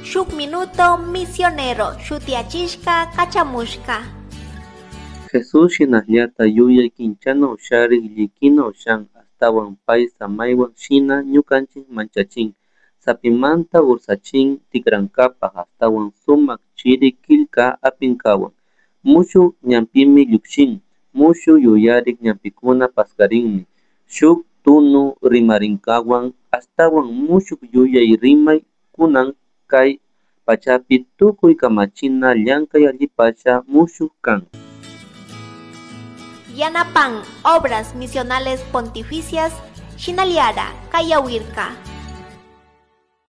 Shuk Minuto Misionero shutiyachishka kachamushka. Jesús shinallata yuyay kinchana usharik llikina ushan ashtawan pay samaywan shina ñukanchik manchachin sapimanta ursachin tikrankapak ashtawan sumak chiri killka apinkawan mushuk ñanpimi llukshin mushuk yuyarik ñanpikuna paskarinmi shuk tunu rimarinkawan ashtawan mushuk yuyay rimay kunan kay pachapi tukuy kamachina llankay allipasha mushuk kan. Yanapan Obras Misionales Pontificias, Shinaliara, Kayawirka.